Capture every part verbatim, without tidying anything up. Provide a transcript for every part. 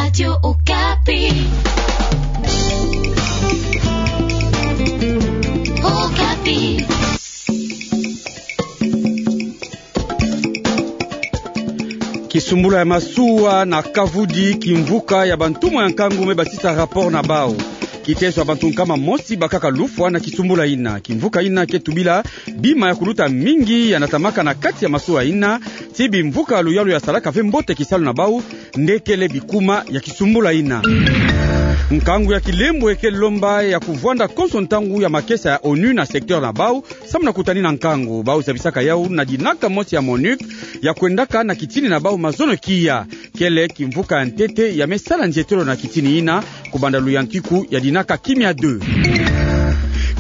Radio Okapi. Okapi. Kisumbula ya masuwa na kavudi, kimvuka ya bantumwa ya nkangu me basisa rapport na bau. Kitezo ya bantu nkama mosi bakaka lufwa na kisumbula ina. Kimvuka ina ke tubila bima ya kuluta mingi ya natamaka na kati ya masuwa ina, ti bimvuka ya luyalu ya salaka ve mbote kisalu na bau, nde kele bikuma ya kisumbula ina. Nkangu ya kilembo eke lomba ya kuvwanda konso ntangu ya makesa ya onu na secteur na bau, samu na kutani na nkangu. Bau zabisaka yau na dinaka mosi ya MONUC ya kwendaka na kitini na bau mazono kia. Kele kimvuka ya ntete ya me sala nzietelo na kitini ina, kubanda luyantiku ya dinaka kimia deux.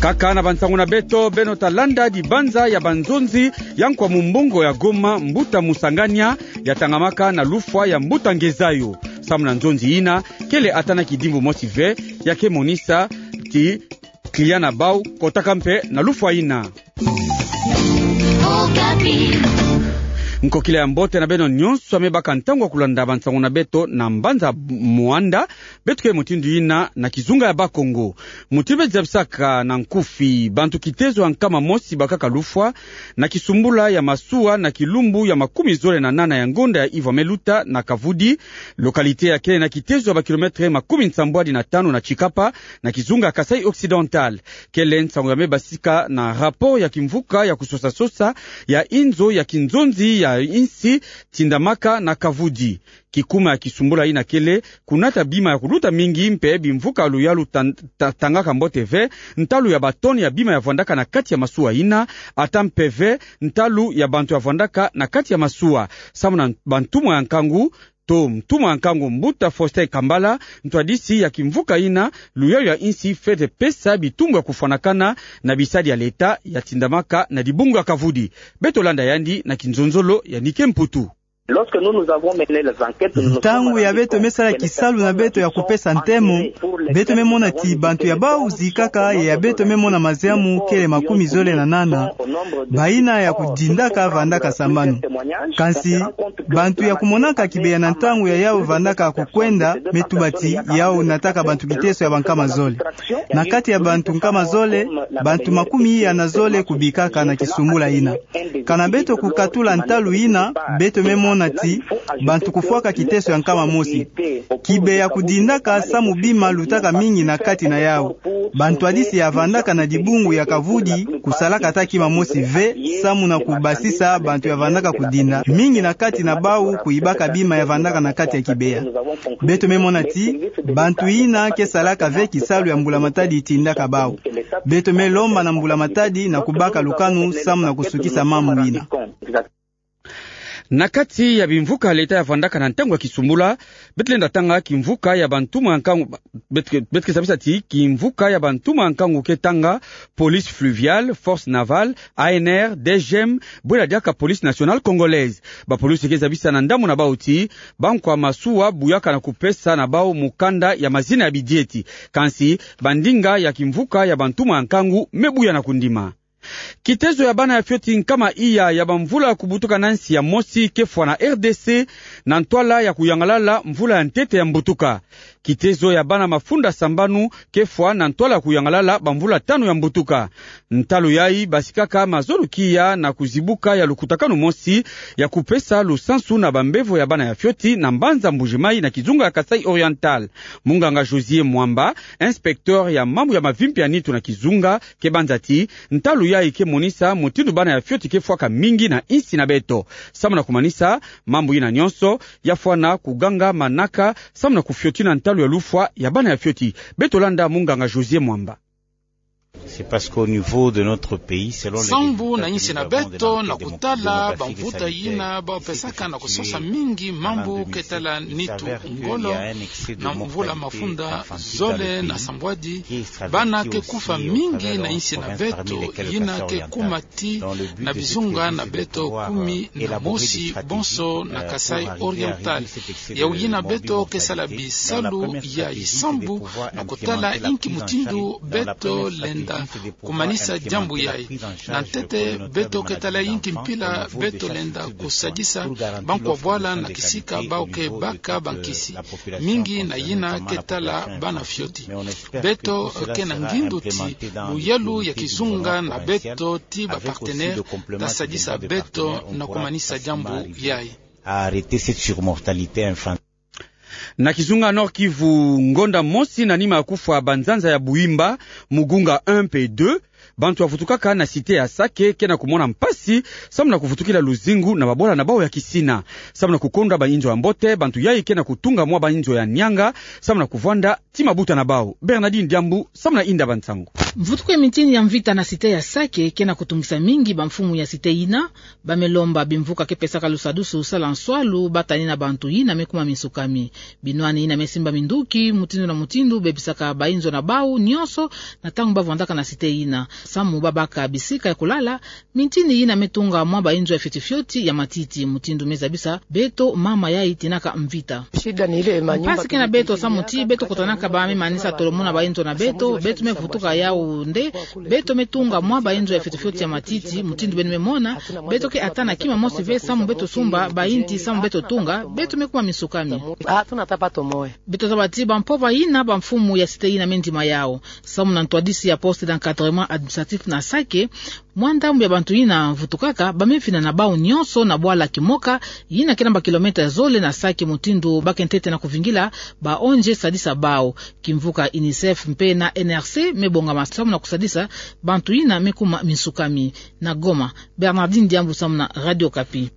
Kaka na bansangu na beto, beno ta landa dibanza ya banzonzi ya nkwa mumbongo ya Goma, mbuta Musangania, ya tangamaka na lufwa ya mbuta Ngezayo. Samu na nzonzi ina, kele ata na kidimbu mosi ve ya ke monisa ti client na bau kotaka mpe na lufwa ina. Nkokila ya mbote na beno nyonso ya me baka ntangu ya kulanda bansangu na beto na mbanza Muanda. Beto ke mutindu ina na kizunga ya Bakongo. Mutindu beto zabisaka na nkufi, bantu kitezo ya nkama mosi bakaka lufwa na kisumbula ya masuwa na kilumbu ya makumi zole na nana ya ngonda ya iva me luta na Kavudi, localité ya kele na kitezo ya ba kilomètre makumi nsambwadi na tanu na Tshikapa, na kizunga ya Kasaï Occidental. Kele nsangu ya me basika na rapport ya kimvuka ya kusosa-sosa ya inzo ya kinzonzi ya insi tindamaka na Kavudi. Kikuma ya kisumbula ina kele kunata bima ya kuluta mingi mpe bimvuka ya luyalu tan-, ta-, tangaka mbote ve, ntalu ya ba tonnes ya bima ya vwandaka na kati ya masuwa ina, ata mpe ve ntalu ya bantu ya vwandaka na kati ya masuwa. Samu na bantumwa ya nkangu, to ntumwa ya nkangu mbuta Faustin Kambala, ntwadisi ya kimvuka ina, luyalu ya insi fwete pesa bitumbu ya kufwanakana na bisadi ya leta ya tindamaka na dibungu ya Kavudi. Beto landa yandi na kinzonzolo ya Nike Mputu. Lorsque nous, nous avons mené les enquêtes, nous nous sommes rendu compte que les personnes qui ont participé, Ntangu ya beto me sala kisalu na beto ya kupesa ntemo, beto me mona ti bantu ya bau zikaka ya beto me mona maziamu kele makumi zole na nana. Baina ya kudindaka vandaka sambanu. Kansi, bantu ya kumonaka kibeya na ntangu ya yau vandaka kukwenda, me tuba ti yau nataka bantu kiteso ya bankama zole. Na kati ya bantu nkama zole, bantu makumi iya na zole kubikaka na kisumbula ina. Kana beto kukatula ntalu ina, beto me mona ti bantu kufwaka kiteso ya nkama mosi. Kibeya kudindaka samu bima lutaka mingi na kati na yau. Bantwadisi ya vandaka na dibungu ya Kavudi kusalaka ata kima mosi ve, samu na kubasisa bantu ya vandaka kudinda, mingi na kati na bau kuibaka bima ya vandaka na kati ya kibeya. Beto me mona ti bantu ina ke salaka ve kisalu ya mbula matadi itindaka bau. Beto me lomba na mbula matadi na kubaka lukanu samu na kusukisa mambu ina. Na kati ya bimvuka leta ya vandaka na ntangu ya kisumbula, beto lenda tanga kimvuka ya bantumwa ya nkangu, beto ke, beto ke zabisa ti kimvuka ya bantumwa ya nkangu ke tanga police fluviale, force navale, A N R, D G M, bwela diaka police nationale congolaise. Bapolisi ke zabisa na ndambu na bau ti bankwa masuwa buyaka na kupesa na bau mukanda ya mazina ya bidieti. Kansi, bandinga ya kimvuka ya bantumwa ya nkangu me buya na kundima. Kitezo ya bana ya fioti nkama iya ya bamvula kubutuka na nsi ya mosi ke fwa na R D C na ntwala ya kuyangalala mvula ya ntete ya mbutuka. Kitezo ya bana mafunda sambanu ke fwa na ntwala ya kuyangalala bamvula tanu ya mbutuka. Ntalu yayi basikaka mazono kia na kuzibuka ya lukutakanu mosi ya kupesa lusansu na bambevo ya bana ya fioti na mbanza Mbuji-Mayi na kizunga ya Kasaï Oriental. Munganga Josier Mwamba, inspecteur ya mambu ya mavimpi ya nitu na kizunga, ke banza ti, ntalu yayi ke monisa mutindu bana ya fioti ke fwaka mingi na insi na beto. Samu na kumanisa mambu ina nyonso, ya fwana kuganga manaka samu na kufiotina ntalu ya lufwa ya bana ya fioti. Beto landa munganga Josier Mwamba. C'est parce qu'au niveau de notre pays, selon les résultats que nous avons de l'enquête démographique et sanitaire, en l'an deux mille vingt, il y a un excès de mortalité, il y a un excès de décès. Sambu na insi na beto na kutala bamvuta yina bau pesaka na kusosa mingi mambu ke tala nitu ngolo na mvula mafunda zole na sambwadi, bana ke kufa mingi na insi na beto, yina ke kuma ti na bizunga na beto kumi na mosi bonso na Kasaï Oriental. Yau yina beto ke sala bisalu yayi sambu na kutala inki mutindu beto lenda kumanisa diambu yayi. Na ntete, beto ke tala inki mpila beto lenda kusadisa bankwa bwala na kisika bawu ke baka bankisi. Mingi na yina ke tala bana fioti. Beto ke na ngindu ti luyalu ya kizunga na beto ti ba partenaire ta sadisa beto na kumanisa diambu yayi. Na kizunga Nord-Kivu, ngonda mosi na nima ya kufwa banzanza ya Buimba, Mugunga un mpe deux, bantu ya vutukaka na cité ya Sake ke na kumona mpasi, samu na kuvutukila luzingu na babwala na bawu ya kisina. Samu na kukondwa bainzo ya mbote, bantu yayi ke na kutunga mwa bainzo ya nianga, samu na kuvwanda ti mabuta na bawu. Bernardine Diambu, samu na inda bansangu. Mvutuku ya mintini ya mvita na cité ya Sake ke na kutungisa mingi bamfumu ya cité yina, ba me lomba bimvuka ke pesaka lusadusu sala nswalu ba tani na bantu yina me kuma minsukami. Binwani yina me simba minduki mutindu na mutindu, bebisaka bainzo na bawu nyonso na ntangu ba vwandaka na cité yina. Samu ba baka bisika ya kulala, mintini yina me tunga mwa bainzo ya fioti fioti ya matiti, mutindu me zabisa beto mama yayi tinaka mvita. Mpasi ke na beto samu ti beto kutanaka ba me manisa tolomona bainzo na beto, beto me vutuka yawu nde, beto me tunga mwa bainzo ya fioti fioti ya matiti, mutindu beno me mona, beto ke atana kima mosi ve samu beto sumba bainti samu beto tunga, beto me kuma minsukami. Beto zaba ti bampova yina bamfumu ya cité yina me ndima yawu. Samu na ntwadisi ya poste d'encadrement administratif na Sake, mwa ndambu ya bantu yina vutukaka, ba me fina na bawu nyonso na bwala Kimoka, yina ke na ba kilomètre zole na Sake, mutindu ba ke ntete na kuvingila baonje sadisa bawu. Kimvuka UNICEF mpe na N R C me bongama samu na kusadisa bantu yina me kuma minsukami. Na Goma, Bernardine Diambu samu na Radio Okapi.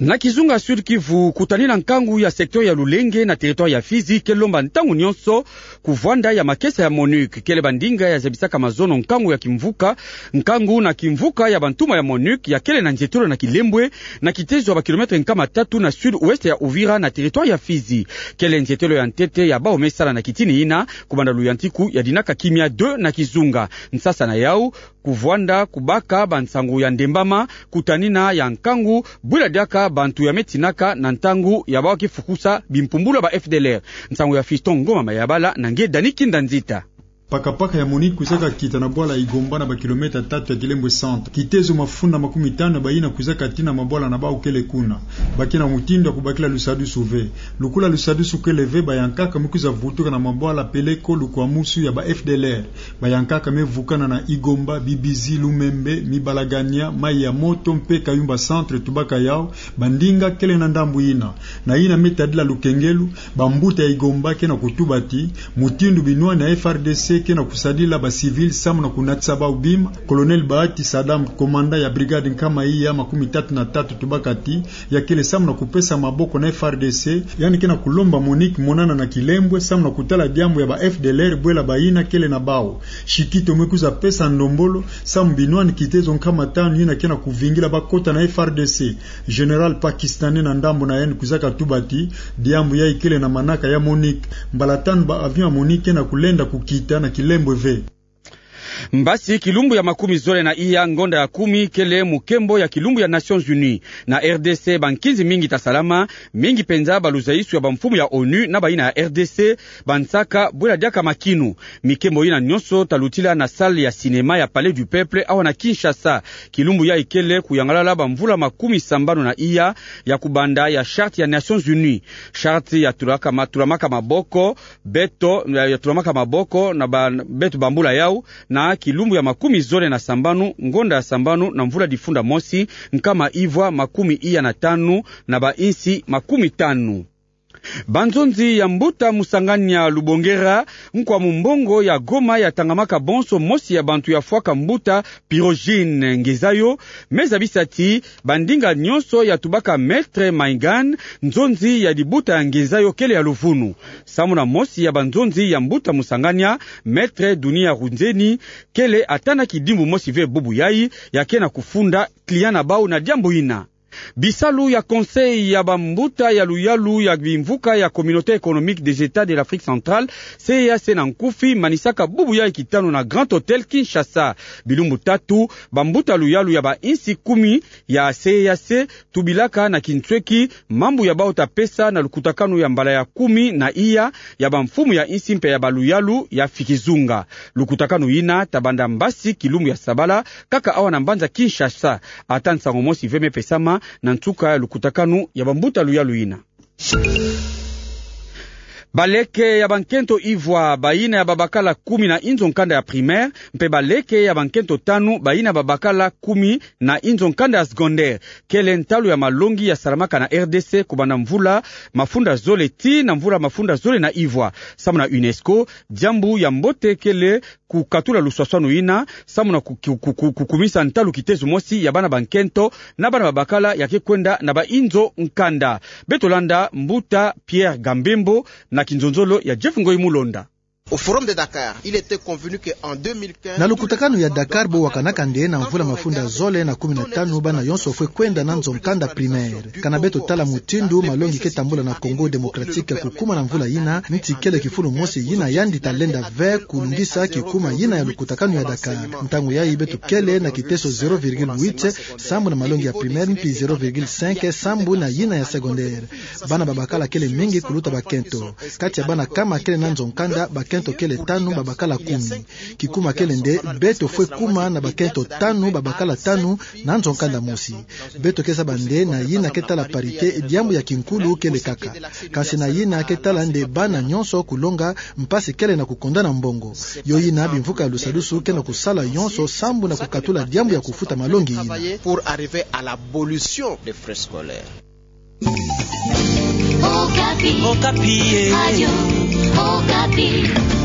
Na kizunga Sud-Kivu, kutanina nkangu ya secteur ya Lulenge na territoire ya Fizi ke lomba ntangu nyonso kuvwanda ya makesa ya MONUC. Kele bandinga ya zabisaka mazono nkangu ya kimvuka, nkangu na kimvuka ya bantuma ya MONUC ya kele na nzietolo na Kilembwe, na kitezo ya ba kilomètre nkama tatu na sud-ouest ya Uvira na territoire ya Fizi. Kele nzietolo ya ntete ya bawu me sala na kitini yina, kubanda luyantiku ya dinaka kimia deux na kizunga. Nsasa na yawu, kuvwanda kubaka bansangu ya ndembama, kutanina ya nkangu, bwila diaka bantu ya me tinaka na ntangu ya bawu ke fukusa bimpumbulu ya ba F D L R. Nsangu ya Fiston Ngoma Mayabala na nge Dani Kinda Nzita. Pakapaka ya MONUC kwizaka kita na bwala Igomba na ba kilomètre tatu ya Kilembwe centre. Kitezo mafunda makumi tanu ya bayina kwizaka tina mabwala na bawu kele kuna. Ba ke na mutindu ya kubakila lusadusu ve. Lukula lusadusu kele ve, bayankaka me kwiza vutuka na mabwala peleko lukwamusu ya ba F D L R. Bayankaka me vukana na Igomba, Bibizi, Lumembe, Mibalagania, Mayi ya Moto mpe Kayumba centre, tubaka yawu, bandinga kele na ndambu yina. Na yina me tadila lukengelu, bambuta ya Igomba ke na kutuba ti, mutindu binwani ya F A R D C ke na kusadila ba civil samu na kunatisa bawu bima, Colonel Bahati Sadam, commandant ya brigade nkama iya makumi tatu na tatu, tubaka ti, ya kele samu na kupesa maboko na F A R D C, yandi ke na kulomba MONUC monana na Kilembwe samu na kutala diambu ya ba F D L R bwela bayina kele na bawu. Shikito me kwiza pesa ndombolo samu binwani kitezo nkama tanu yina ke na kuvingila bakota na F A R D C. Général pakistanais na ndambu na yandi kwizaka tuba ti, diambu yayi kele na manaka ya MONUC. Mbala tanu ba avion ya MONUC ke na kulenda kukita na Kilembwe ve. Mbasi, kilumbu ya makumi zole na iya, ngonda ya kumi, kele mukembo ya kilumbu ya Nations Unies. Na R D C, bankinzi mingi ta salama, mingi penza baluzaisu ya bamfumu ya ONU na bayina ya R D C, bansaka bwela diaka makinu. Mikembo yina nyonso ta lutila na salle ya cinéma ya Palais du Peuple, awa na Kinshasa. Kilumbu yayi kele kuyangalala bamvula makumi sambanu na iya ya kubanda ya charte ya Nations Unies. Charte ya tulaka ma-, tulamaka maboko, beto, ya, ya tulamaka maboko na ba, beto bambula yawu, na kilumbu ya makumi zole na sambanu, ngonda ya sambanu, na mvula difunda mosi, nkama ivwa makumi iya na tanu, na bainsi makumi tanu. Banzonzi ya mbuta Musangania Lubongera, nkwa mumbongo ya Goma ya tangamaka bonso mosi ya bantu ya fwaka mbuta Pyrogène Ngezayo, me zabisa ti bandinga nyonso ya tubaka Maître Maïgane, nzonzi ya dibuta ya Ngezayo kele ya luvunu. Samu na mosi ya banzonzi ya mbuta Musangania, Maître Dunia Runzeni, kele ata na kidimbu mosi ve bubu yayi, ya ke na kufunda client na bawu na diambu yina. Bisalu ya Conseil ya bambuta ya luyalu ya bimvuka ya Communauté économique des États de l'Afrique centrale, C E E A C na nkufi, manisaka bubu yayi kitanu na Grand Hôtel Kinshasa. Bilumbu tatu, bambuta luyalu ya bainsi kumi ya C E E A C tubilaka na kinsweki mambu ya bawu ta pesa na lukutakanu ya mbala ya kumi na iya ya bamfumu ya insi mpe ya baluyalu ya fikizunga. Lukutakanu yina tabanda mbasi kilumbu ya sabala, kaka awa na mbanza Kinshasa. Ata nsango mosi ve me pesama na nsuka ya lukutakanu ya bambuta luyalu yina. Baleke ya bankento ivwa, bayina ya babakala kumi na inzo nkanda ya primaire, mpe baleke ya bankento tanu, bayina babakala kumi na inzo nkanda ya secondaire, kele ntalu ya malongi ya salamaka na R D C kubanda mvula mafunda zole tii na mvula mafunda zole na ivwa. Samu na UNESCO, diambu ya mbote kele kukatula luswaswanu yina, samu na ku-, ku-, ku-, ku-, kukumisa ntalu kitezo mosi ya bana bankento na bana babakala ya ke kwenda na bainzo nkanda. Beto landa mbuta Pierre Gambembo na kinzonzolo ya Jeff Ngoyi Mulonda. Au Forum de Dakar, il était convenu que en deux mille quinze, na lukutakanu ya Dakar bo wakanaka nde na mvula mafunda zole na kumi na tanu bana yonso fwe kwenda na nzo nkanda primaire. Kana beto tala mutindu malongi ke tambula na Congo Démocratique kukuma na mvula yina, nti kele kifulu mosi yina yandi talenda ve kulungisa kikuma yina ya lukutakanu ya Dakar. Ntangu yayi beto kele na kiteso zéro virgule huit sambu na malongi ya primaire, mpi zéro virgule cinq sambu na yina ya secondaire. Bana babakala kele mingi kuluta bakento. Kati ya bana kama kele na nzo nkanda, bakento kele tanu babakala kumi. Kikuma kele nde beto fwe kuma na bakento tanu babakala tanu na nzo nkanda mosi. Beto ke zaba nde na yina ke tala parité, diambu ya kinkulu kele kaka. Kansi na yina ke tala nde bana nyonso kulonga, mpasi kele na kukondana mbongo. Yo yina bimvuka ya lusadusu ke na kusala yonso sambu na kukatula diambu ya kufuta malongi yina. Pour arriver à l'abolition des frais scolaires. Okapi. Okapi, eh. Radio Okapi.